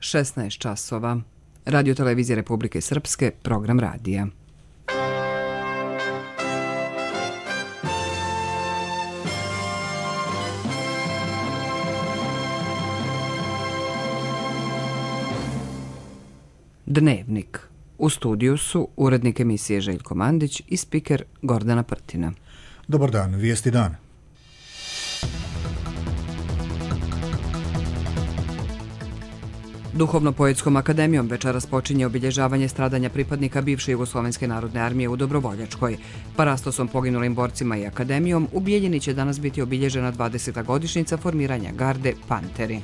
16 časova. Radio Televizije Republike Srpske, program radija. Dnevnik. U studiju su urednik emisije Željko Mandić i spiker Gordana Prtina. Dobar dan, vijesti dan. Duhovno-poetskom akademijom večeras počinje obilježavanje stradanja pripadnika bivše Jugoslovenske narodne armije u Dobrovoljačkoj. Parastosom poginulim borcima i akademijom u Bijeljini će danas biti obilježena 20. godišnjica formiranja garde Panteri.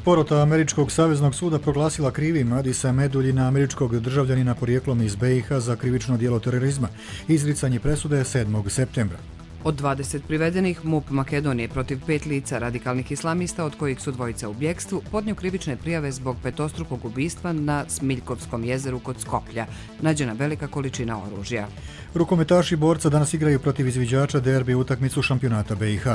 Porota Američkog saveznog suda proglasila krivim Adisa Meduljina, američkog državljanina porijeklom iz BiH za krivično djelo terorizma. Izricanje presude je 7. septembra. Od 20 privedenih, MUP Makedonije protiv 5 lica radikalnih islamista, od kojih su dvojica u bjekstvu, podnio krivične prijave zbog petostrukog ubistva na Smiljkovskom jezeru kod Skoplja. Nađena velika količina oružja. Rukometaši borca danas igraju protiv izviđača derbi utakmicu šampionata BiH.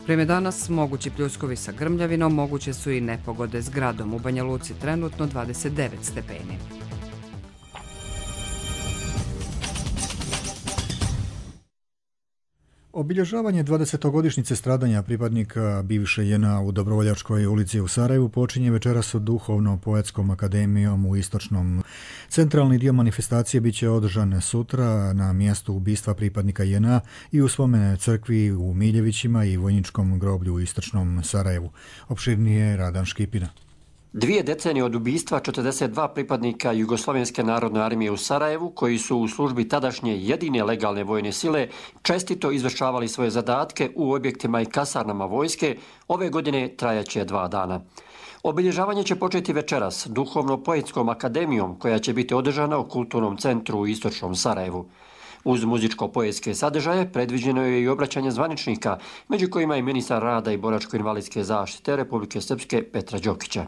Prema danas mogući pljuskovi sa grmljavinom, moguće su i nepogode s gradom. U Banja Luci trenutno 29 stepeni. Obilježavanje 20-godišnjice stradanja pripadnika bivše JNA u Dobrovoljačkoj ulici u Sarajevu počinje večeras Duhovno-poetskom akademijom u Istočnom. Centralni dio manifestacije bit će održan sutra na mjestu ubistva pripadnika JNA i u spomen crkvi u Miljevićima i vojničkom groblju u Istočnom Sarajevu. Opširnije Radan Škipina. 2 decenije od ubistva 42 pripadnika Jugoslovenske narodne armije u Sarajevu, koji su u službi tadašnje jedine legalne vojne sile čestito izvršavali svoje zadatke u objektima i kasarnama vojske, ove godine trajaće 2 dana. Obilježavanje će početi večeras Duhovno-poetskom akademijom, koja će biti održana u Kulturnom centru u Istočnom Sarajevu. Uz muzičko-poetske sadržaje predviđeno je i obraćanje zvaničnika, među kojima i ministar rada i boračko-invalidske zaštite Republike Srpske Petra Đokića.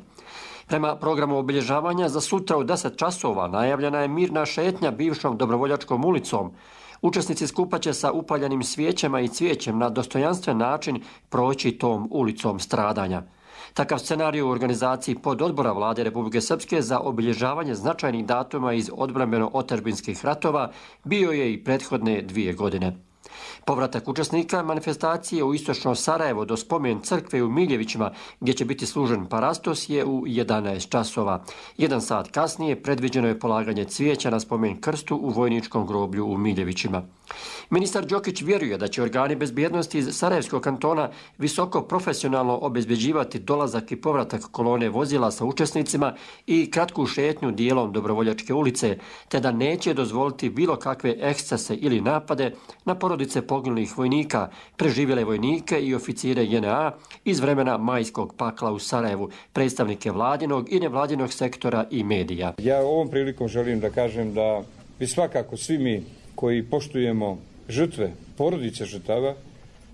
Prema programu obilježavanja za sutra u 10 časova najavljena je mirna šetnja bivšom Dobrovoljačkom ulicom. Učesnici skupa će sa upaljenim svijećama i cvijećem na dostojanstven način proći tom ulicom stradanja. Takav scenarij u organizaciji pododbora Vlade Republike Srpske za obilježavanje značajnih datuma iz odbrambeno-otadžbinskih ratova bio je i prethodne 2 godine. Povratak učesnika manifestacije u Istočno Sarajevo do spomen crkve u Miljevićima, gdje će biti služen parastos, je u 11 časova. 1 sat kasnije predviđeno je polaganje cvijeća na spomen krstu u vojničkom groblju u Miljevićima. Ministar Đokić vjeruje da će organi bezbjednosti iz Sarajevskog kantona visoko profesionalno obezbeđivati dolazak i povratak kolone vozila sa učesnicima i kratku šetnju dijelom Dobrovoljačke ulice, te da neće dozvoliti bilo kakve ekscese ili napade na porodice poginulih vojnika, preživjele vojnike i oficire JNA iz vremena majskog pakla u Sarajevu, predstavnike vladinog i nevladinog sektora i medija. Ja ovom prilikom želim da kažem da bi svakako svi mi koji poštujemo žrtve, porodice žrtava,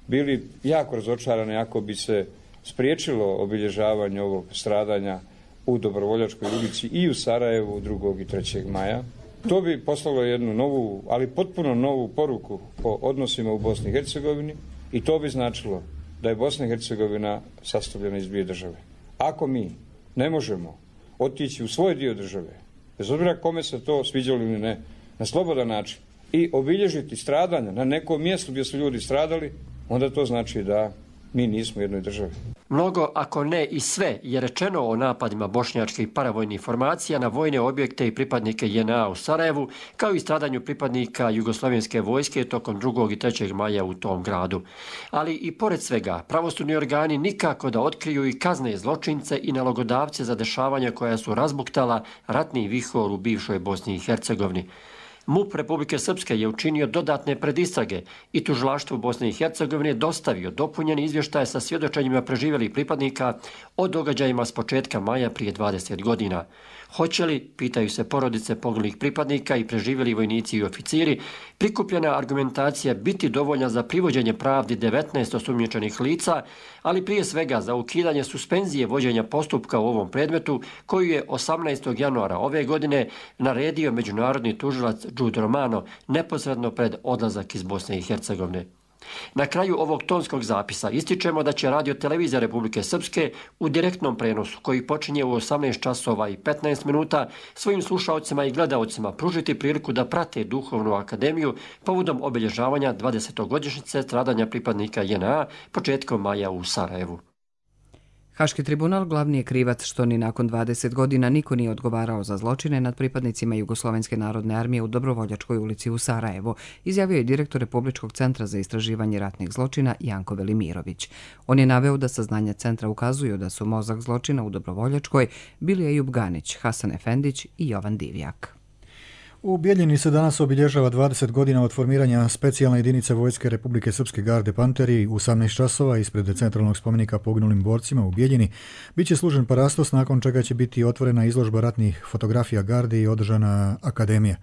bili jako razočarani ako bi se spriječilo obilježavanje ovog stradanja u Dobrovoljačkoj ulici i u Sarajevu 2. i 3. maja. To bi poslalo jednu novu, ali potpuno novu poruku o odnosima u Bosni i Hercegovini i to bi značilo da je Bosna i Hercegovina sastavljena iz 2 države. Ako mi ne možemo otići u svoj dio države, bez obzira kome se to sviđalo ili ne, na slobodan način i obilježiti stradanja na nekom mjestu gdje su ljudi stradali, onda to znači da mi nismo u jednoj državi. Mnogo, ako ne i sve, je rečeno o napadima bošnjačkih paravojnih formacija na vojne objekte i pripadnike JNA u Sarajevu, kao i stradanju pripadnika Jugoslovenske vojske tokom 2. i 3. maja u tom gradu. Ali i pored svega, pravosudni organi nikako da otkriju i kazne zločince i nalogodavce za dešavanja koja su razbuktala ratni vihor u bivšoj Bosni i Hercegovini. MUP Republike Srpske je učinio dodatne predistrage i tužilaštvu Bosne i Hercegovine dostavio dopunjeni izvještaj sa svjedočenjima preživjelih pripadnika o događajima s početka maja prije 20 godina. Hoće li, pitaju se porodice poginulih pripadnika i preživjeli vojnici i oficiri, prikupljena argumentacija biti dovoljna za privođenje pravdi 19 osumnjičenih lica, ali prije svega za ukidanje suspenzije vođenja postupka u ovom predmetu, koju je 18. januara ove godine naredio međunarodni tužilac Đude Romano neposredno pred odlazak iz Bosne i Hercegovine. Na kraju ovog tonskog zapisa ističemo da će Radio Televizija Republike Srpske u direktnom prenosu, koji počinje u 18 časova i 15 minuta, svojim slušaocima i gledaocima pružiti priliku da prate Duhovnu akademiju povodom obilježavanja 20. stradanja pripadnika JNA početkom maja u Sarajevu. Haški tribunal glavni je krivac što ni nakon 20 godina niko nije odgovarao za zločine nad pripadnicima Jugoslovenske narodne armije u Dobrovoljačkoj ulici u Sarajevu, izjavio je direktor Republičkog centra za istraživanje ratnih zločina Janko Velimirović. On je naveo da saznanja centra ukazuju da su mozak zločina u Dobrovoljačkoj bili Ejub Ganić, Hasan Efendić i Jovan Divjak. U Bijeljini se danas obilježava 20 godina od formiranja specijalne jedinice Vojske Republike Srpske Garde Panteri. U 18 časova ispred centralnog spomenika poginulim borcima u Bijeljini biće služen parastos, nakon čega će biti otvorena izložba ratnih fotografija Garde i održana akademija.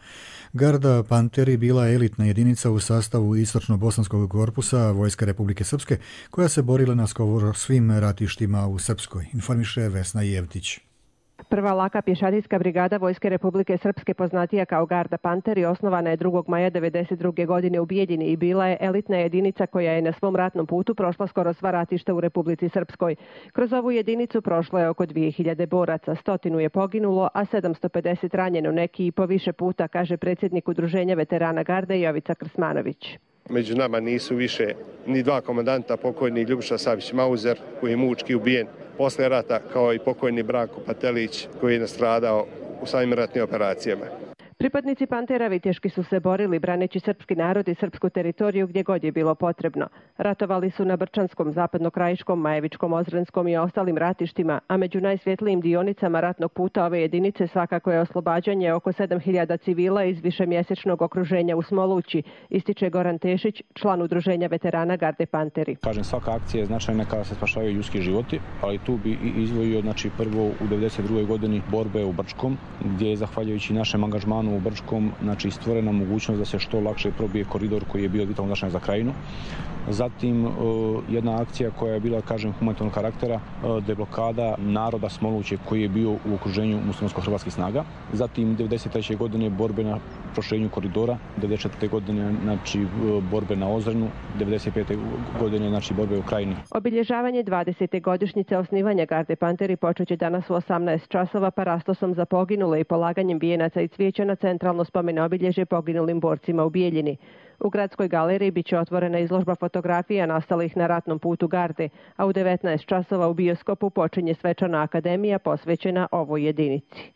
Garda Panteri bila je elitna jedinica u sastavu Istočno-Bosanskog korpusa Vojske Republike Srpske, koja se borila na skoro svim ratištima u Srpskoj, informiše Vesna Jevtić. Prva laka pješadijska brigada Vojske Republike Srpske, poznatija kao Garda Panteri, osnovana je 2. maja 1992. godine u Bijeljini i bila je elitna jedinica koja je na svom ratnom putu prošla skoro sva ratišta u Republici Srpskoj. Kroz ovu jedinicu prošlo je oko 2000 boraca, 100 je poginulo, a 750 ranjeno, neki i po više puta, kaže predsjednik Udruženja veterana Garde Jovica Krsmanović. Među nama nisu više ni dva komandanta, pokojni Ljubiša Savić-Mauzer, koji je mučki ubijen posle rata, kao i pokojni Branko Patelić, koji je nastradao u samim ratnim operacijama. Pripadnici Pantera viteški su se borili braneći srpski narod i srpsku teritoriju gdje god je bilo potrebno. Ratovali su na Brčanskom, Zapadnokrajiškom, Majevičkom, Ozrenskom i ostalim ratištima, a među najsvjetlijim dionicama ratnog puta ove jedinice svakako je oslobađanje oko 7000 civila iz višemjesečnog okruženja u Smolući, ističe Goran Tešić, član Udruženja veterana Garde Panteri. Kažem, svaka akcija je značajna kada se spašavaju ljudski životi, ali tu bi izdvojio prvo u 1992. godini borbe u Brčkom, gdje je zahvaljujući našem angažmanu u Brčkom stvorena mogućnost da se što lakše probije koridor koji je bio vitalno značajan za krajinu. Zatim jedna akcija koja je bila, humanitarnog karaktera, deblokada naroda Smoluće koji je bio u okruženju muslimansko-hrvatskih snaga. Zatim 1993. godine borbe na proširenju koridora, 1994. godine borbe na Ozrenu, 1995. godine borbe u Krajini. Obilježavanje 20. godišnjice osnivanja Garde Panteri počeće danas u 18 časova parastosom za poginule i polaganjem vijenaca i cvijeća na centralno spomen obilježje poginulim borcima u Bijeljini. U Gradskoj galeriji biće otvorena izložba fotografija nastalih na ratnom putu Garde, a u 19 časova u bioskopu počinje svečana akademija posvećena ovoj jedinici.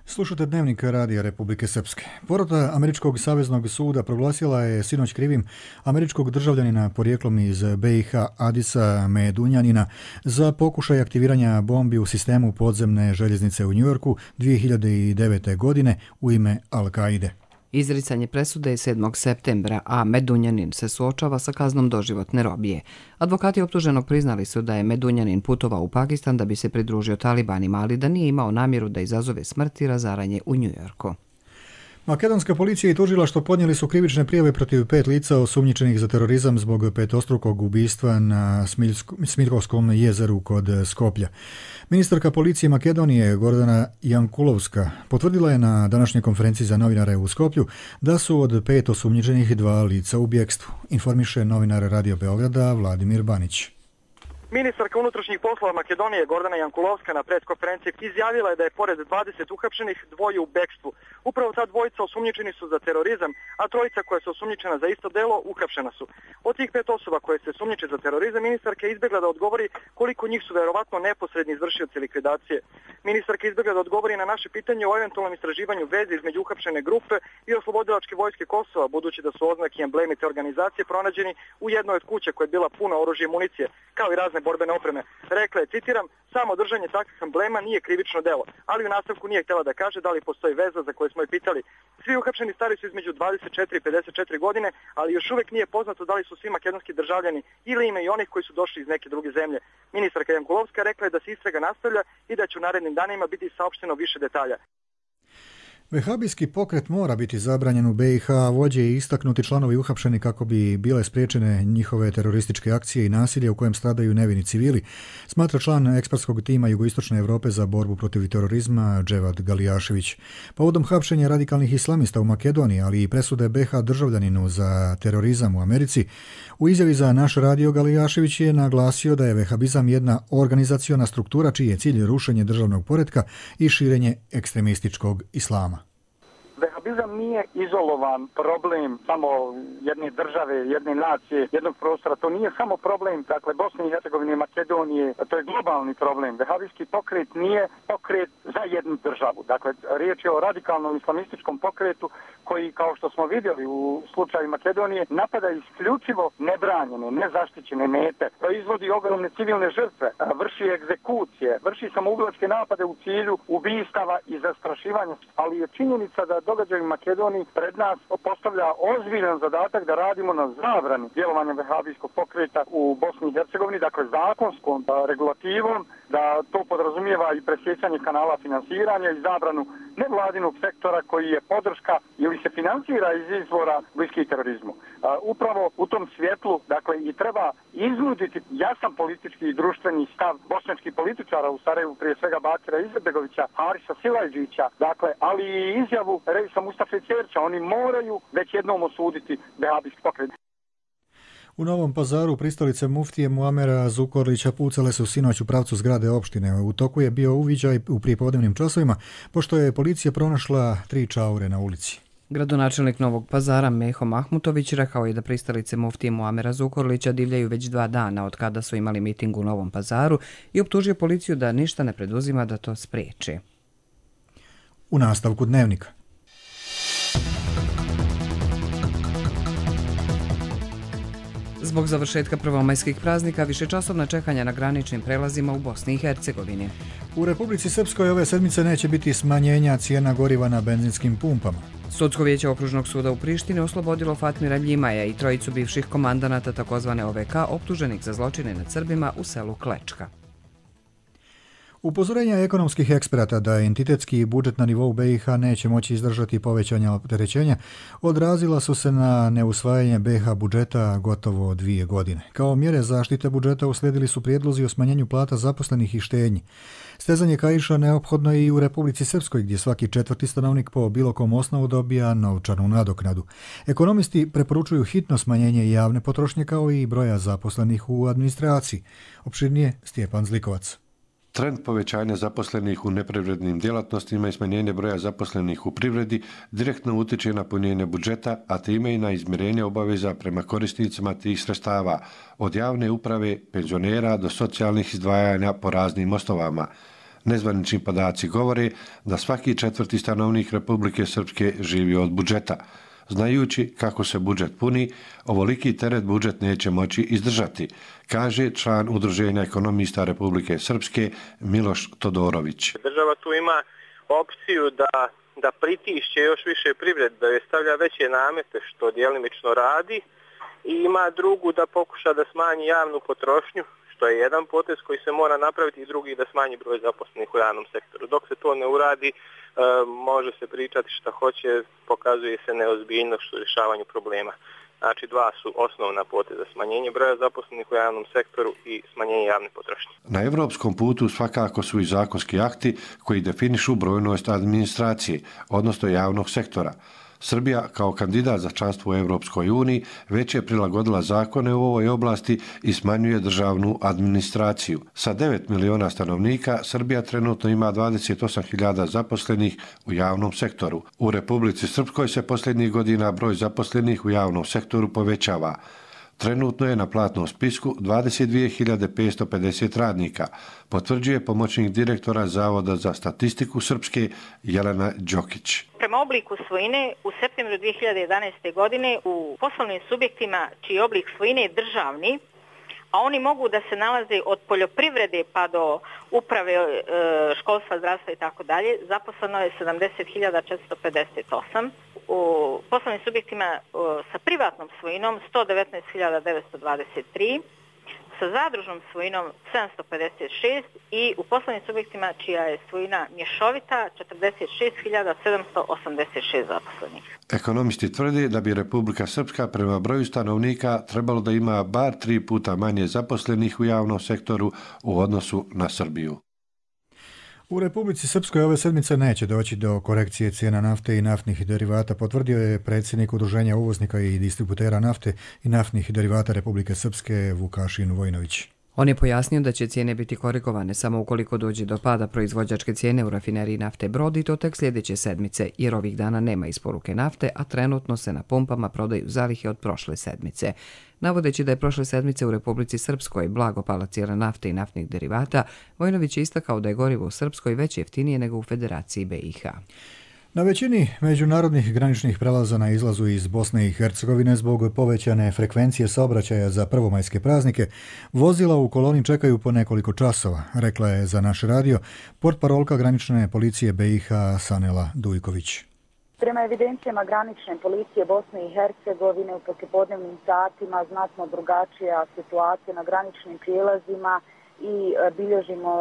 Slušate Dnevnik Radija Republike Srpske. Porota Američkog saveznog suda proglasila je sinoć krivim američkog državljanina porijeklom iz BiH Adisa Medunjanina za pokušaj aktiviranja bombi u sistemu podzemne željeznice u Njujorku 2009. godine u ime Al-Kaide. Izricanje presude je 7. septembra, a Medunjanin se suočava sa kaznom doživotne robije. Advokati optuženog priznali su da je Medunjanin putovao u Pakistan da bi se pridružio talibanima, ali da nije imao namjeru da izazove smrt i razaranje u Njujorku. Makedonska policija i tužilaštvo podnijeli su krivične prijave protiv 5 lica osumnjičenih za terorizam zbog petostrukog ubistva na Smiljkovskom jezeru kod Skoplja. Ministarka policije Makedonije Gordana Jankulovska potvrdila je na današnjoj konferenciji za novinare u Skoplju da su od 5 osumnjičenih 2 lica u bjekstvu, informiše novinar Radio Beograda Vladimir Banić. Ministarka unutrašnjih poslova Makedonije Gordana Jankulovska na preskonferenciji izjavila je da je pored 20 uhapšenih 2 u bekstvu. Upravo ta dvojica osumnjičeni su za terorizam, a 3 koja su osumnjičena za isto delo uhapšena su. Od tih 5 osoba koje se sumnjiče za terorizam, ministarka je izbjegla da odgovori koliko njih su verovatno neposredni izvršioci likvidacije. Ministarka je izbjegla da odgovori na naše pitanje o eventualnom istraživanju veze između uhapšene grupe i oslobodilačke vojske Kosova, budući da su oznaki i emblemi te organizacije pronađeni u jednoj od kuća koja je bila puna oružja i municije, kao i razne borbene opreme. Rekla je, citiram, samo držanje takvih emblema nije krivično delo, ali u nastavku nije htjela da kaže da li postoji veza za koju smo je pitali. Svi uhapšeni stari su između 24 i 54 godine, ali još uvijek nije poznato da li su svi makedonski državljani ili ima i onih koji su došli iz neke druge zemlje. Ministarka Jankulovska rekla je da se istraga nastavlja i da će u narednim danima biti saopšteno više detalja. Vehabijski pokret mora biti zabranjen u BiH, vođe i istaknuti članovi uhapšeni kako bi bile spriječene njihove terorističke akcije i nasilje u kojem stradaju nevini civili, smatra član ekspertskog tima Jugoistočne Europe za borbu protiv terorizma Dževad Galijašević. Povodom hapšenja radikalnih islamista u Makedoniji, ali i presude BiH državljaninu za terorizam u Americi, u izjavi za naš radio Galijašević je naglasio da je vehabizam jedna organizaciona struktura čiji je cilj rušenje državnog poretka i širenje ekstremističkog islama. Vehabizam nije izolovan problem samo jedne države, jedne nacije, jednog prostora. To nije samo problem, dakle, Bosne i Hercegovine, Makedonije, to je globalni problem. Vehabijski pokret nije pokret za jednu državu. Dakle, riječ je o radikalnom islamističkom pokretu koji, kao što smo vidjeli u slučaju Makedonije, napada isključivo nebranjene, nezaštićene mete, proizvodi ogromne civilne žrtve, vrši egzekucije, vrši samoubilačke napade u cilju ubistava i zastrašivanja, ali je činjenica da događaj u Makedoniji pred nas postavlja ozbiljan zadatak da radimo na zabrani djelovanja vehabijskog pokreta u Bosni i Hercegovini, dakle zakonskom regulativom, da to podrazumijeva i presjecanje kanala finansiranja i zabranu nevladinog sektora koji je podrška ili se financira iz izvora bliskih terorizmu. Upravo u tom svjetlu, dakle, i treba iznuditi jasan politički i društveni stav bošnjačkih političara u Sarajevu, prije svega Bakira Izetbegovića, Harisa Silajđića, dakle, ali i izjavu Reisa Mustafa Cerća. Oni moraju već jednom osuditi vehabijski pokret. U Novom Pazaru pristalice muftije Muamera Zukorlića pucale su sinoć u pravcu zgrade opštine. U toku je bio uviđaj u prijepodnevnim časovima, pošto je policija pronašla 3 čaure na ulici. Gradonačelnik Novog Pazara Meho Mahmutović rekao je da pristalice muftije Muamera Zukorlića divljaju već 2 dana od kada su imali miting u Novom Pazaru i optužio policiju da ništa ne preduzima da to spriječi. U nastavku dnevnika. Zbog završetka prvomajskih praznika višečasovna čekanja na graničnim prelazima u Bosni i Hercegovini. U Republici Srpskoj ove sedmice neće biti smanjenja cijena goriva na benzinskim pumpama. Sudsko vijeće Okružnog suda u Prištini oslobodilo Fatmira Ljimaja i 3 bivših komandanata takozvane OVK optuženih za zločine nad Srbima u selu Klečka. Upozorenja ekonomskih eksperata da entitetski budžet na nivou BiH neće moći izdržati povećanja opterećenja odrazila su se na neusvajanje BiH budžeta gotovo 2 godine. Kao mjere zaštite budžeta uslijedili su prijedlozi o smanjenju plata zaposlenih i štednji. Stezanje kaiša neophodno je i u Republici Srpskoj, gdje svaki 4. stanovnik po bilo kom osnovu dobija novčanu nadoknadu. Ekonomisti preporučuju hitno smanjenje javne potrošnje kao i broja zaposlenih u administraciji. Opširnije Stjepan Zlikovac. Trend povećanja zaposlenih u neprivrednim djelatnostima i smanjenje broja zaposlenih u privredi direktno utječe na punjenje budžeta, a time i na izmirenje obaveza prema korisnicima tih sredstava, od javne uprave, penzionera do socijalnih izdvajanja po raznim osnovama. Nezvanični podaci govore da svaki 4. stanovnik Republike Srpske živi od budžeta. Znajući kako se budžet puni, ovoliki teret budžet neće moći izdržati, kaže član Udruženja ekonomista Republike Srpske Miloš Todorović. Država tu ima opciju da pritišće još više privredu, da je stavlja veće namete, što djelimično radi, i ima drugu da pokuša da smanji javnu potrošnju, što je jedan potez koji se mora napraviti, i drugi da smanji broj zaposlenih u javnom sektoru. Dok se to ne uradi, može se pričati šta hoće, pokazuje se neozbiljnost u rješavanju problema. Znači, 2 su osnovna poteza: smanjenje broja zaposlenih u javnom sektoru i smanjenje javne potrošnje. Na evropskom putu svakako su i zakonski akti koji definišu brojnost administracije, odnosno javnog sektora. Srbija kao kandidat za članstvo u Evropskoj uniji već je prilagodila zakone u ovoj oblasti i smanjuje državnu administraciju. Sa 9 miliona stanovnika Srbija trenutno ima 28.000 zaposlenih u javnom sektoru. U Republici Srpskoj se posljednjih godina broj zaposlenih u javnom sektoru povećava. Trenutno je na platnom spisku 22.550 radnika, potvrđuje pomoćnik direktora Zavoda za statistiku Srpske Jelena Đokić. Prema obliku svojine, u septembru 2011. godine u poslovnim subjektima čiji oblik svojine je državni, a oni mogu da se nalaze od poljoprivrede pa do uprave, školstva, zdravstva i tako dalje, zaposleno je 70.458. U poslovnim subjektima sa privatnom svojinom 119.923, sa sa zadružnom svojinom 756 i u poslovnim subjektima čija je svojina mješovita 46.786 zaposlenih. Ekonomisti tvrde da bi Republika Srpska prema broju stanovnika trebalo da ima bar 3 puta manje zaposlenih u javnom sektoru u odnosu na Srbiju. U Republici Srpskoj ove sedmice neće doći do korekcije cijena nafte i naftnih derivata, potvrdio je predsjednik Udruženja uvoznika i distributera nafte i naftnih derivata Republike Srpske Vukašin Vojnović. On je pojasnio da će cijene biti korigovane samo ukoliko dođe do pada proizvođačke cijene u rafineriji nafte Brod i to tek sljedeće sedmice, jer ovih dana nema isporuke nafte, a trenutno se na pumpama prodaju zalihe od prošle sedmice. Navodeći da je prošle sedmice u Republici Srpskoj blago pala cijena nafte i naftnih derivata, Vojnović je istakao da je gorivo u Srpskoj već jeftinije nego u Federaciji BiH. Na većini međunarodnih graničnih prelaza na izlazu iz Bosne i Hercegovine zbog povećane frekvencije saobraćaja za prvomajske praznike, vozila u koloni čekaju po nekoliko časova, rekla je za naš radio portparolka granične policije BiH Sanela Dujković. Prema evidencijama granične policije Bosne i Hercegovine u poslijepodnevnim satima znatno drugačija situacija na graničnim prijelazima i bilježimo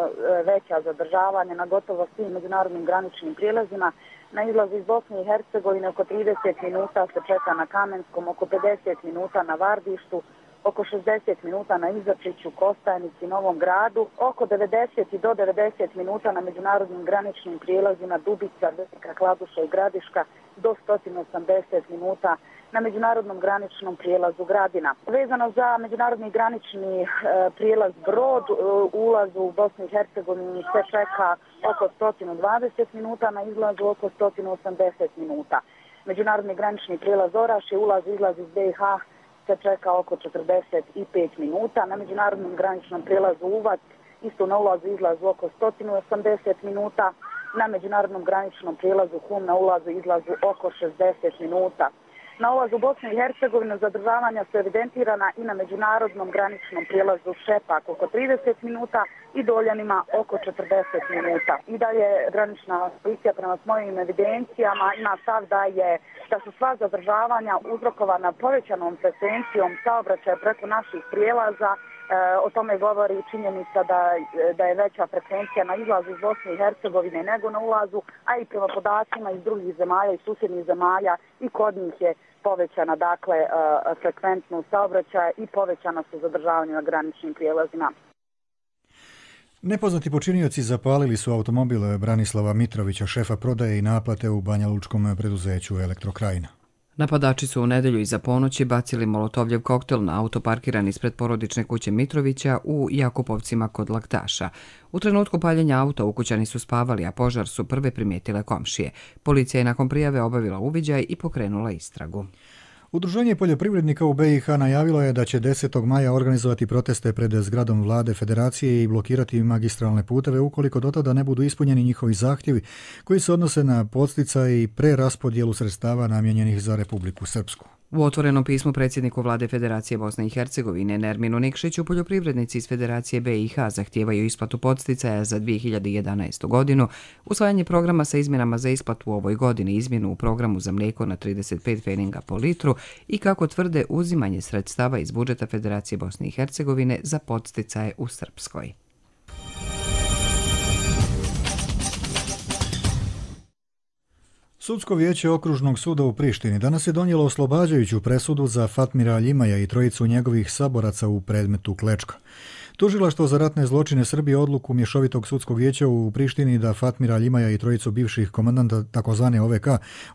veća zadržavanja na gotovo svim međunarodnim graničnim prijelazima. Na izlazu iz Bosne i Hercegovine oko 30 minuta se čeka na Kamenskom, oko 50 minuta na Vardištu, oko 60 minuta na Izačiću, Kostajnici, Novom Gradu, oko 90 do 90 minuta na međunarodnim graničnim prijelazima Dubica, Velika Kladuša i Gradiška, do 180 minuta na međunarodnom graničnom prijelazu Gradina. Vezano za međunarodni granični prijelaz Brod, ulazu u Bosnu i Hercegovini se čeka oko 120 minuta, na izlazu oko 180 minuta. Međunarodni granični prijelaz Orašje, ulaz i izlaz iz BiH se čeka oko 45 minuta. Na međunarodnom graničnom prijelazu Uvac, isto na ulazu i izlazu oko 180 minuta. Na međunarodnom graničnom prijelazu Hum na ulazu i izlazu oko 60 minuta. Na ulazu Bosne i Hercegovine zadržavanja su evidentirana i na međunarodnom graničnom prijelazu Šepak oko 30 minuta i Doljanima oko 40 minuta. I dalje granična policija prema svojim evidencijama ima stav da su sva zadržavanja uzrokovana povećanom frekvencijom saobraćaja preko naših prijelaza. O tome govori činjenica da je veća frekvencija na izlazu iz Bosne i Hercegovine nego na ulazu, a i prema podacima iz drugih zemalja i susjednih zemalja i kod njih je povećana frekventnost saobraćaja i povećana su zadržavanja na graničnim prijelazima. Nepoznati počinioci zapalili su automobil Branislava Mitrovića, šefa prodaje i naplate u banjalučkom preduzeću Elektrokrajina. Napadači su u nedjelju iza ponoći bacili molotovljev koktel na auto parkiran ispred porodične kuće Mitrovića u Jakupovcima kod Laktaša. U trenutku paljenja auta ukućani su spavali, a požar su prve primijetile komšije. Policija je nakon prijave obavila uviđaj i pokrenula istragu. Udruženje poljoprivrednika u BiH najavilo je da će 10. maja organizovati proteste pred zgradom vlade federacije i blokirati magistralne puteve ukoliko do tada ne budu ispunjeni njihovi zahtjevi koji se odnose na podsticaj i preraspodjelu sredstava namijenjenih za Republiku Srpsku. U otvorenom pismu predsjedniku vlade Federacije Bosne i Hercegovine Nerminu Nikšiću poljoprivrednici iz Federacije BiH zahtijevaju isplatu podsticaja za 2011. godinu, usvajanje programa sa izmjenama za isplatu u ovoj godini, izmjenu u programu za mlijeko na 35 pfeninga po litru i, kako tvrde, uzimanje sredstava iz budžeta Federacije Bosne i Hercegovine za podsticaje u Srpskoj. Sudsko vijeće Okružnog suda u Prištini danas je donijelo oslobađajuću presudu za Fatmira Aljimaja i trojicu njegovih saboraca u predmetu Klečka. Tužilaštvo za ratne zločine Srbije odluku mješovitog sudskog vijeća u Prištini da Fatmira Aljimaja i trojicu bivših komandanta takozvane OVK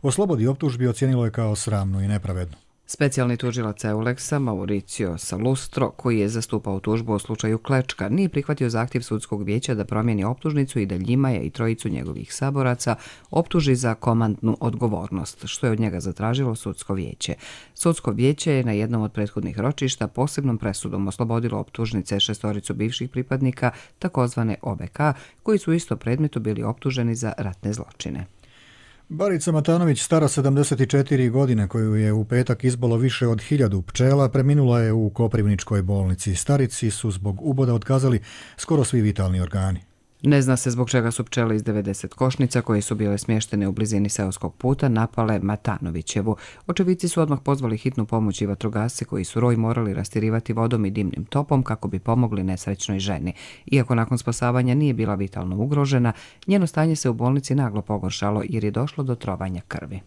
oslobodi optužbi ocijenilo je kao sramnu i nepravednu. Specijalni tužilac Euleksa Mauricio Salustro, koji je zastupao tužbu u slučaju Klečka, nije prihvatio zahtjev sudskog vijeća da promijeni optužnicu i da Ljimaja i trojicu njegovih saboraca optuži za komandnu odgovornost, što je od njega zatražilo sudsko vijeće. Sudsko vijeće je na jednom od prethodnih ročišta posebnom presudom oslobodilo optužnice šestoricu bivših pripadnika takozvane OVK, koji su u isto predmetu bili optuženi za ratne zločine. Barica Matanović, stara 74 godine, koju je u petak izbolo više od 1000 pčela, preminula je u Koprivničkoj bolnici. Starici su zbog uboda otkazali skoro svi vitalni organi. Ne zna se zbog čega su pčele iz 90 košnica koje su bile smještene u blizini seoskog puta napale Matanovićevu. Očevici su odmah pozvali hitnu pomoć i vatrogasce koji su roj morali rastirivati vodom i dimnim topom kako bi pomogli nesrećnoj ženi. Iako nakon spasavanja nije bila vitalno ugrožena, njeno stanje se u bolnici naglo pogoršalo jer je došlo do trovanja krvi.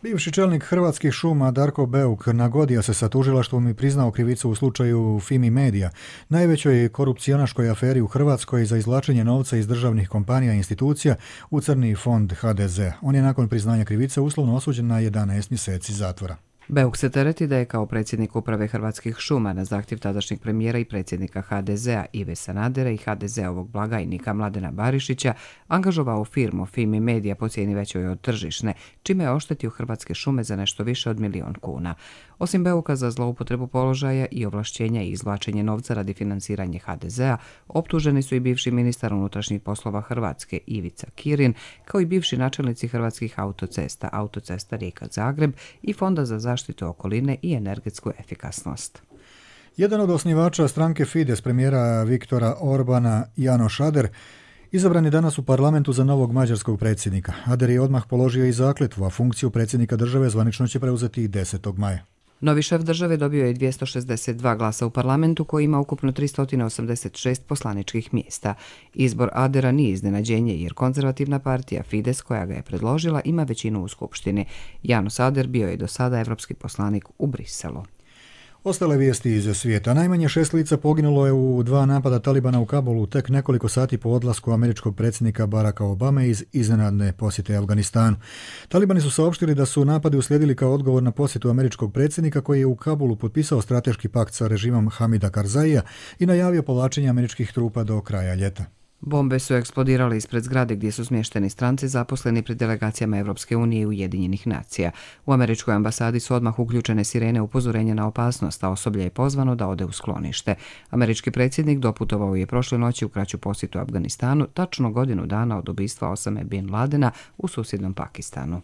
Bivši čelnik Hrvatskih šuma Darko Beuk nagodio se sa tužilaštvom i priznao krivicu u slučaju Fimi Media, najvećoj korupcionaškoj aferi u Hrvatskoj za izvlačenje novca iz državnih kompanija i institucija u crni fond HDZ. On je nakon priznanja krivice uslovno osuđen na 11 mjeseci zatvora. Beuk se tereti da je kao predsjednik uprave Hrvatskih šuma na zahtjev tadašnjeg premijera i predsjednika HDZ-a Ive Sanadera i HDZ-ovog blagajnika Mladena Barišića angažovao firmu Fimi Media po cijeni većoj od tržišne, čime je oštetio Hrvatske šume za nešto više od 1 milijun kuna. Osim Beuka za zloupotrebu položaja i ovlašćenja i izvlačenje novca radi financiranja HDZ-a, optuženi su i bivši ministar unutrašnjih poslova Hrvatske Ivica Kirin, kao i bivši načelnici Hrvatskih autocesta, Autocesta Rijeka-Zagreb i Fonda za zaštitu okoline i energetsku efikasnost. Jedan od osnivača stranke Fides premijera Viktora Orbana, Janoš Ader, izabran je danas u parlamentu za novog mađarskog predsjednika. Ader je odmah položio i zakletvu, a funkciju predsjednika države zvanično će preuzeti 10. maja. Novi šef države dobio je 262 glasa u parlamentu koji ima ukupno 386 poslaničkih mjesta. Izbor Adera nije iznenađenje jer konzervativna partija Fides koja ga je predložila ima većinu u skupštini. Janos Ader bio je do sada evropski poslanik u Briselu. Ostale vijesti iz svijeta. Najmanje 6 lica poginulo je u 2 napada Talibana u Kabulu tek nekoliko sati po odlasku američkog predsjednika Baracka Obame iz iznenadne posjete Afganistanu. Talibani su saopštili da su napadi uslijedili kao odgovor na posjetu američkog predsjednika koji je u Kabulu potpisao strateški pakt sa režimom Hamida Karzaija i najavio povlačenje američkih trupa do kraja ljeta. Bombe su eksplodirale ispred zgrade gdje su smješteni stranci zaposleni pri delegacijama Evropske unije i Ujedinjenih nacija. U američkoj ambasadi su odmah uključene sirene upozorenja na opasnost, a osoblje je pozvano da ode u sklonište. Američki predsjednik doputovao je prošle noći u kraću posjetu Afganistanu, tačno godinu dana od ubistva Osame bin Ladena u susjednom Pakistanu.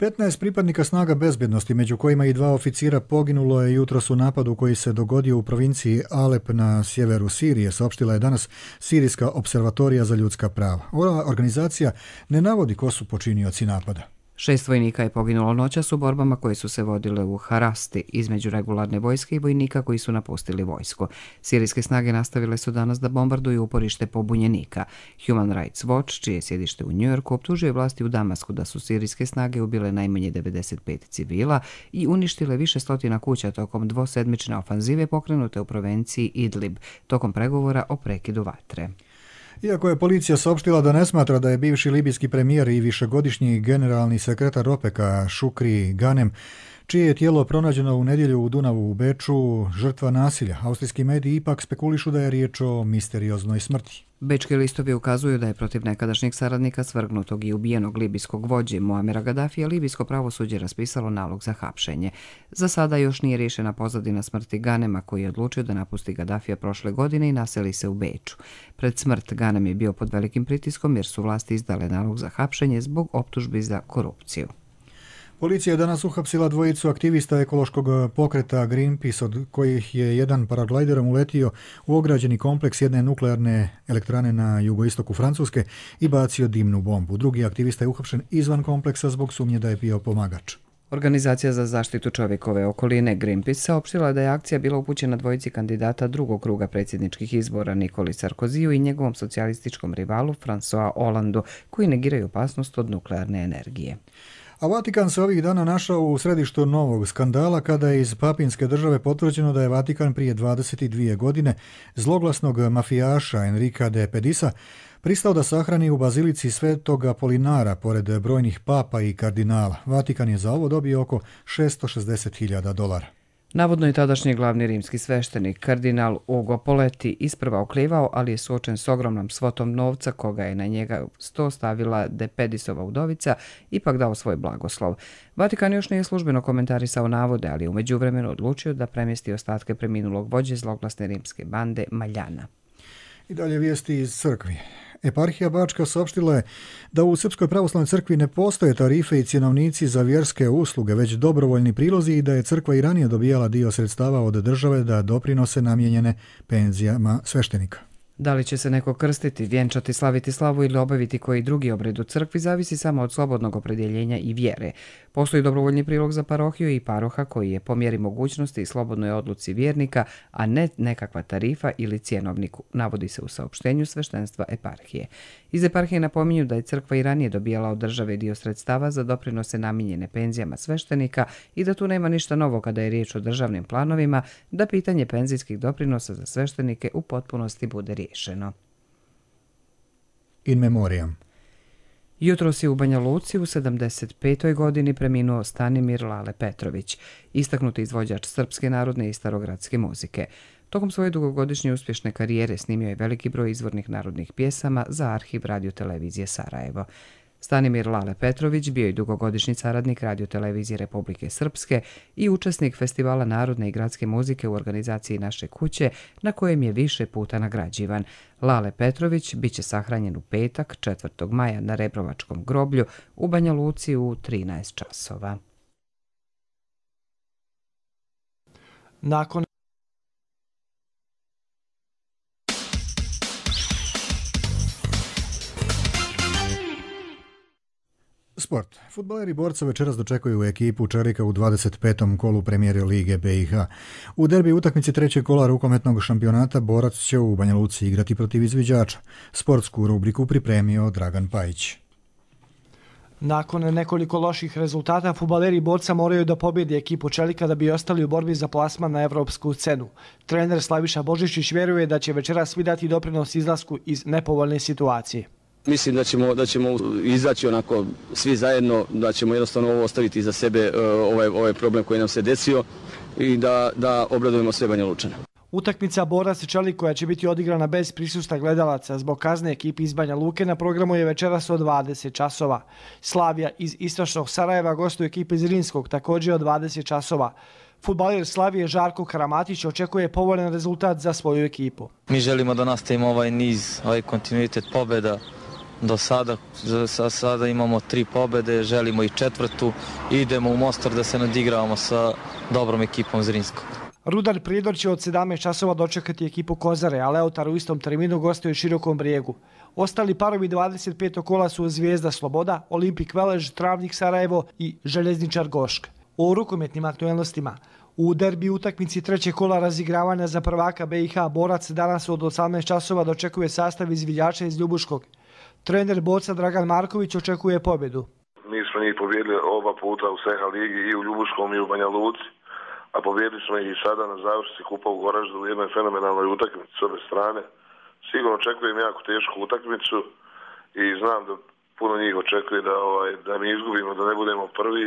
15 pripadnika snaga bezbjednosti, među kojima i 2 oficira, poginulo je jutros u napadu koji se dogodio u provinciji Alep na sjeveru Sirije, saopštila je danas Sirijska observatorija za ljudska prava. Ova organizacija ne navodi ko su počinioci napada. 6 vojnika je poginulo noćas u borbama koje su se vodile u Harasti između regularne vojske i vojnika koji su napustili vojsku. Sirijske snage nastavile su danas da bombarduju uporište pobunjenika. Human Rights Watch, čije je sjedište u Njujorku, optužuje vlasti u Damasku da su sirijske snage ubile najmanje 95 civila i uništile više stotina kuća tokom dvosedmične ofanzive pokrenute u provinciji Idlib, tokom pregovora o prekidu vatre. Iako je policija saopštila da ne smatra da je bivši libijski premijer i višegodišnji generalni sekretar OPEC-a Šukri Ganem, čije je tijelo pronađeno u nedjelju u Dunavu u Beču, žrtva nasilja, austrijski mediji ipak spekulišu da je riječ o misterioznoj smrti. Bečki listovi ukazuju da je protiv nekadašnjeg saradnika svrgnutog i ubijenog libijskog vođe Muamera Gadafija libijsko pravosuđe raspisalo nalog za hapšenje. Za sada još nije riješena pozadina smrti Ganema koji je odlučio da napusti Gadafija prošle godine i naseli se u Beču. Pred smrt Ganem je bio pod velikim pritiskom jer su vlasti izdale nalog za hapšenje zbog optužbi za korupciju. Policija je danas uhapsila 2 aktivista ekološkog pokreta Greenpeace, od kojih je jedan paraglajderom uletio u ograđeni kompleks jedne nuklearne elektrane na jugoistoku Francuske i bacio dimnu bombu. Drugi aktivista je uhapšen izvan kompleksa zbog sumnje da je bio pomagač. Organizacija za zaštitu čovjekove okoline Greenpeace saopštila da je akcija bila upućena 2 kandidata drugog kruga predsjedničkih izbora Nikoli Sarkoziju i njegovom socijalističkom rivalu François Hollandu, koji negiraju opasnost od nuklearne energije. A Vatikan se ovih dana našao u središtu novog skandala kada je iz Papinske države potvrđeno da je Vatikan prije 22 godine zloglasnog mafijaša Enrica de Pedisa pristao da sahrani u bazilici Svetog Apolinara pored brojnih papa i kardinala. Vatikan je za ovo dobio oko $660.000. Navodno je tadašnji glavni rimski sveštenik, kardinal Ugo Poletti, isprva oklivao, ali je suočen s ogromnom svotom novca koga je na njega sto stavila de Pedisova udovica, ipak dao svoj blagoslov. Vatikan još nije službeno komentarisao navode, ali je u međuvremenu odlučio da premjesti ostatke preminulog vođe zloglasne rimske bande Maljana. I dalje vijesti iz crkvi. Eparhija Bačka saopštila je da u Srpskoj pravoslavnoj crkvi ne postoje tarife i cjenovnici za vjerske usluge, već dobrovoljni prilozi i da je crkva i ranije dobijala dio sredstava od države da doprinose namijenjene penzijama sveštenika. Da li će se neko krstiti, vjenčati, slaviti slavu ili obaviti koji drugi obred u crkvi zavisi samo od slobodnog opredjeljenja i vjere. Postoji dobrovoljni prilog za parohiju i paroha koji je po mjeri mogućnosti i slobodnoj odluci vjernika, a ne nekakva tarifa ili cjenovniku, navodi se u saopštenju sveštenstva eparhije. Iz eparhije napominju da je crkva i ranije dobijala od države dio sredstava za doprinose namijenjene penzijama sveštenika i da tu nema ništa novo kada je riječ o državnim planovima, da pitanje penzijskih doprinosa za sveštenike u potpunosti bude riješeno. In memoriam. Jutros je u Banja Luci u 75. godini preminuo Stanimir Lale Petrović, istaknuti izvođač srpske narodne i starogradske muzike. Tokom svoje dugogodišnje uspješne karijere snimio je veliki broj izvornih narodnih pjesama za arhiv radiotelevizije Sarajevo. Stanimir Lale Petrović bio je dugogodišnji saradnik radiotelevizije Republike Srpske i učesnik Festivala narodne i gradske muzike u organizaciji Naše kuće, na kojem je više puta nagrađivan. Lale Petrović biće sahranjen u petak, 4. maja na Rebrovačkom groblju u Banja Luci u 13 časova. Nakon Sport. Fudbaleri Borca večeras dočekuju ekipu Čelika u 25. kolu Premijer Lige BiH. U derbi utakmici trećeg kola rukometnog šampionata Borac će u Banja Luci igrati protiv izviđača. Sportsku rubriku pripremio Dragan Pajić. Nakon nekoliko loših rezultata, fudbaleri Borca moraju da pobjede ekipu Čelika da bi ostali u borbi za plasman na evropsku scenu. Trener Slaviša Božičić vjeruje da će večeras svi dati doprinos izlasku iz nepovoljne situacije. Mislim da ćemo izaći onako svi zajedno, da ćemo jednostavno ovo ostaviti iza sebe, ovaj problem koji nam se desio i da obradujemo sve Banja Lučane. Utakmica Borac i Čelik koja će biti odigrana bez prisustva gledalaca zbog kazne ekipi iz Banja Luke na programu je večeras od 20 časova. Slavija iz istočnog Sarajeva gostuje ekipe iz Rinskog također od 20 časova. Fudbaler Slavije Žarko Karamatić očekuje povoljan rezultat za svoju ekipu. Mi želimo da nastavimo ovaj niz, ovaj kontinuitet pobjeda. Do sada imamo 3 pobjede, želimo i 4. Idemo u Mostar da se nadigravamo sa dobrom ekipom Zrinskog. Rudar Prijedor će od 17 časova dočekati ekipu Kozare, a Leotar u istom terminu gostuje u Širokom Brijegu. Ostali parovi 25. kola su Zvijezda Sloboda, Olimpik Velež, Travnik Sarajevo i Željezničar Gošk. O rukometnim aktualnostima. U derbi utakmici trećeg kola razigravanja za prvaka BiH Borac danas od 18 časova dočekuje sastav izviđača iz Ljubuškog. Trener Borca Dragan Marković očekuje pobjedu. Mi smo njih pobjedili oba puta u SEHA ligi i u Ljubuškom i u Banja Luci, a pobjedili smo ih i sada na završnici kupa u Goraždu u jednoj fenomenalnoj utakmici s obe strane. Sigurno očekujem jako tešku utakmicu i znam da puno njih očekuje da mi izgubimo, da ne budemo prvi,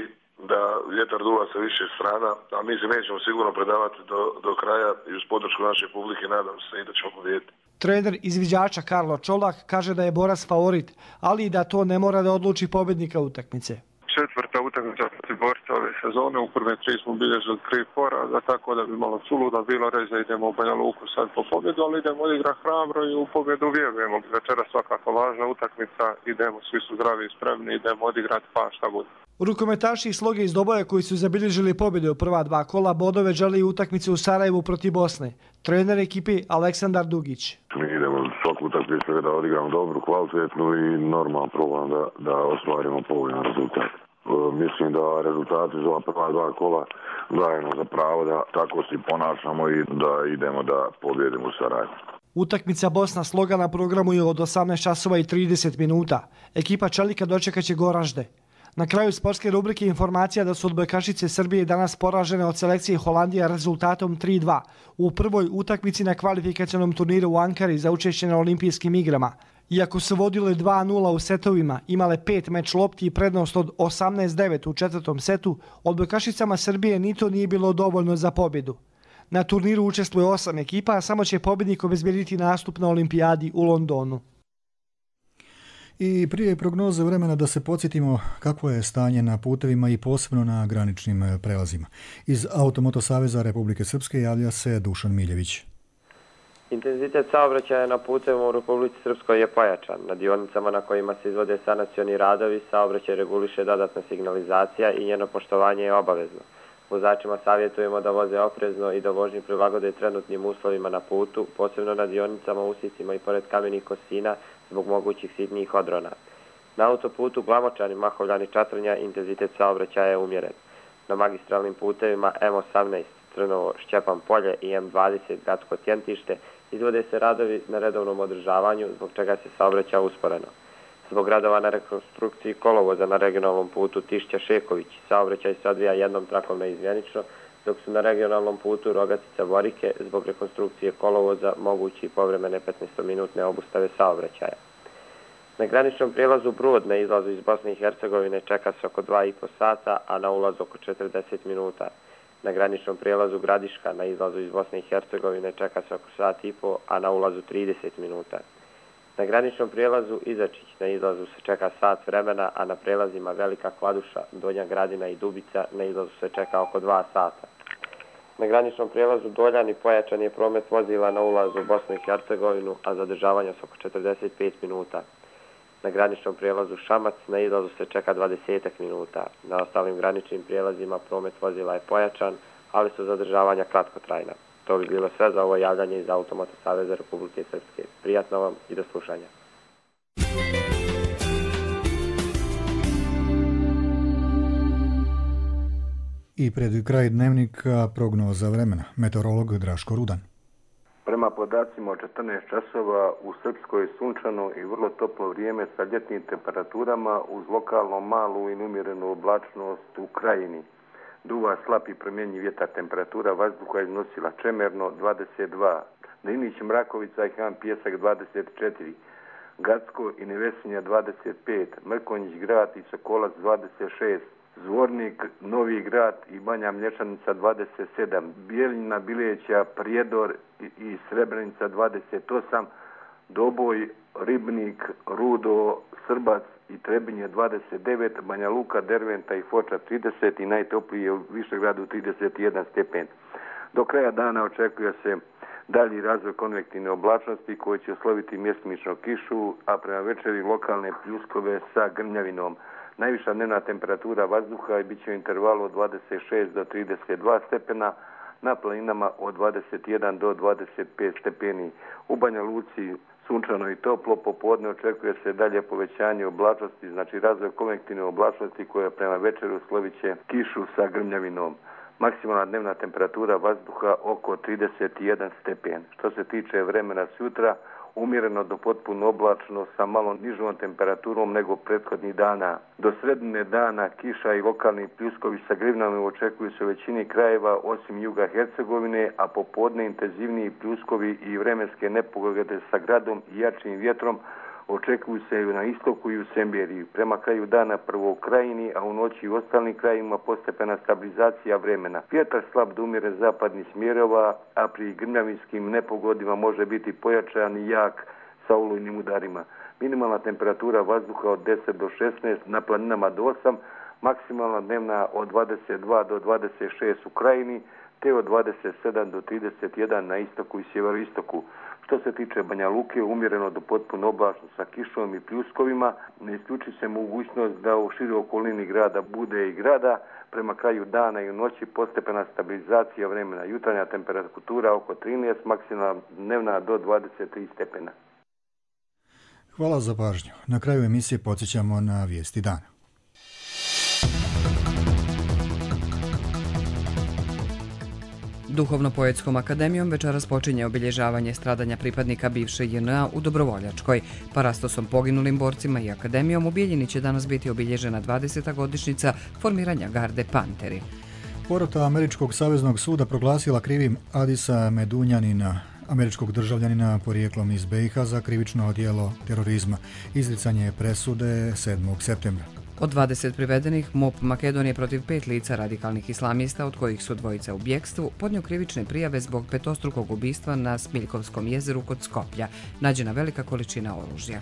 da vjetar duva sa više strana, a mi se nećemo sigurno predavati do kraja i uz podršku naše publike nadam se i da ćemo pobijediti. Trener izviđača Karlo Čolak kaže da je Borac favorit, ali i da to ne mora da odluči pobjednika utakmice. Četvrta utakmica protiv Borca ove sezone, u prve 3 smo bilježili 3 poraza, tako da bi malo suluda bilo reći da idemo u Banja Luku sad po pobjedu, ali idemo odigrati hrabro i u pobjedu vjerujemo. Večera svakako važna utakmica, idemo, svi su zdravi i spremni, idemo odigrati pa šta bude. Rukometaši iz Sloge iz Doboja koji su zabilježili pobjedu u prva 2 kola bodove žele utakmicu u Sarajevu protiv Bosne. Trener ekipi Aleksandar Dugić. Mi idemo svaku utakmicu da odigramo dobru, kvalitetnu i normalno probamo da ostvarimo povoljan rezultat. Mislim da rezultati za prva 2 kola dajemo za pravo da tako se ponašamo i da idemo da pobjedimo u Sarajevu. Utakmica Bosna Sloga na programu je od 18 časova i 30 minuta. Ekipa Čelika dočekaće Goražde. Na kraju sportske rubrike informacija da su odbojkašice Srbije danas poražene od selekcije Holandija rezultatom 3-2 u prvoj utakmici na kvalifikacionom turniru u Ankari za učešće na olimpijskim igrama. Iako su vodile 2-0 u setovima, imale 5 meč lopti i prednost od 18-9 u 4. setu, odbojkašicama Srbije ni to nije bilo dovoljno za pobjedu. Na turniru učestvuje 8 ekipa, a samo će pobjednik obezbijediti nastup na olimpijadi u Londonu. I prije prognoze vremena da se podsjetimo kakvo je stanje na putevima i posebno na graničnim prelazima. Iz Automoto Saveza Republike Srpske javlja se Dušan Miljević. Intenzitet saobraćaja na putevima u Republici Srpskoj je pojačan. Na dionicama na kojima se izvode sanacioni radovi saobraćaj reguliše dodatna signalizacija i njeno poštovanje je obavezno. Vozačima savjetujemo da voze oprezno i da vožnju prilagode trenutnim uslovima na putu, posebno na dionicama, usicima i pored kamenih kosina zbog mogućih sitnijih odrona. Na autoputu Glamočani, Mahovljani, Čatrnja intenzitet saobraćaja je umjeren. Na magistralnim putevima M18, Trnovo, Šćepan polje i M20, Gradsko Tjentište, izvode se radovi na redovnom održavanju, zbog čega se saobraća usporeno. Zbog radova na rekonstrukciji kolovoza na regionalnom putu Tišća-Šeković, saobraćaj se odvija jednom trakom neizmjenično, dok su na regionalnom putu Rogatica-Borike zbog rekonstrukcije kolovoza mogući povremene 15-minutne obustave saobraćaja. Na graničnom prijelazu Brod na izlazu iz Bosne i Hercegovine čeka se oko 2,5 sata, a na ulazu oko 40 minuta. Na graničnom prijelazu Gradiška na izlazu iz Bosne i Hercegovine čeka se oko 1,5 sata, a na ulazu 30 minuta. Na graničnom prijelazu Izačić na izlazu se čeka sat vremena, a na prijelazima Velika Kladuša, Donja Gradina i Dubica na izlazu se čeka oko 2 sata. Na graničnom prijelazu Doljani pojačan je promet vozila na ulazu u Bosnu i Hercegovinu, a zadržavanja su oko 45 minuta. Na graničnom prijelazu Šamac na izlazu se čeka 20 minuta. Na ostalim graničnim prijelazima promet vozila je pojačan, ali su zadržavanja kratkotrajna. To bi bilo sve za ovo javljanje iz Automoto Saveza Republike Srpske. Prijatno vam i do slušanja. I pred kraj dnevnika prognoza vremena. Meteorolog Draško Rudan. Prema podacima od 14 časova u Srpskoj sunčano i vrlo toplo vrijeme sa ljetnim temperaturama uz lokalno malu i umjerenu oblačnost u krajini. Duva slab i promjenjiv vjetar, temperatura vazduha iznosila Čemerno 22, Drinić, Mrakovica i Han Pjesak 24, Gacko i Nevesinja 25, Mrkonjić grad i Sokolac 26, Zvornik, Novi grad i Banja Mlječanica 27, Bijeljina, Bileća, Prijedor i Srebrenica 28, Doboj, Ribnik, Rudo, Srbac i Trebinje 29, Banja Luka, Derventa i Foča 30 i najtoplije u Višegradu 31 stepen. Do kraja dana očekuje se dalji razvoj konvektivne oblačnosti koji će osloviti mjestimično kišu, a prema večeri lokalne pljuskove sa grmljavinom. Najviša dnevna temperatura vazduha bit će u intervalu od 26 do 32 stepena, na planinama od 21 do 25 stepeni. U Banja Luci sunčano i toplo, popodne očekuje se dalje povećanje oblačnosti, znači razvoj konvektivne oblačnosti koja prema večeru slovit će kišu sa grmljavinom. Maksimalna dnevna temperatura vazduha oko 31 stepen. Što se tiče vremena sutra, umjereno do potpuno oblačno sa malo nižom temperaturom nego prethodnih dana. Do sredine dana kiša i lokalni pljuskovi sa grivnama očekuju se u većini krajeva osim juga Hercegovine, a popodne intenzivniji pljuskovi i vremenske nepogode sa gradom i jačim vjetrom očekuju se na istoku i u Semberiji. Prema kraju dana prvo u krajini, a u noći u ostalim krajima postepena stabilizacija vremena. Vjetar slab do umjeren zapadnih smjerova, a pri grmljavinskim nepogodima može biti pojačan i jak sa olujnim udarima. Minimalna temperatura vazduha od 10 do 16, na planinama do 8, maksimalna dnevna od 22 do 26 u krajini, te od 27 do 31 na istoku i sjeveroistoku. Što se tiče Banja Luke, umjereno do potpuno oblačno sa kišom i pljuskovima, ne isključi se mogućnost da u široj okolini grada bude i grada. Prema kraju dana i u noći postepena stabilizacija vremena. Jutarnja temperatura oko 13, maksimalna dnevna do 23 stepena. Hvala za pažnju. Na kraju emisije podsjećamo na vijesti dana. Duhovno-poetskom akademijom večeras počinje obilježavanje stradanja pripadnika bivše JNA u Dobrovoljačkoj. Parastosom poginulim borcima i akademijom u Bijeljini će danas biti obilježena 20. godišnjica formiranja garde Panteri. Porota Američkog saveznog suda proglasila krivim Adisa Medunjanina, američkog državljanina porijeklom iz BiH za krivično djelo terorizma. Izricanje presude 7. septembra. Od 20 privedenih, MUP Makedonije protiv 5 lica radikalnih islamista, od kojih su dvojica u bjekstvu, podnio krivične prijave zbog petostrukog ubistva na Smiljkovskom jezeru kod Skoplja. Nađena velika količina oružja.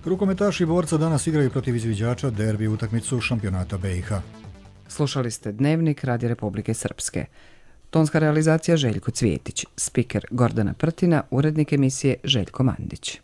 Rukometaši borca danas igraju protiv izviđača derbi utakmicu šampionata BiH. Slušali ste Dnevnik Radija Republike Srpske. Tonska realizacija Željko Cvjetić, spiker Gordana Prtina, urednik emisije Željko Mandić.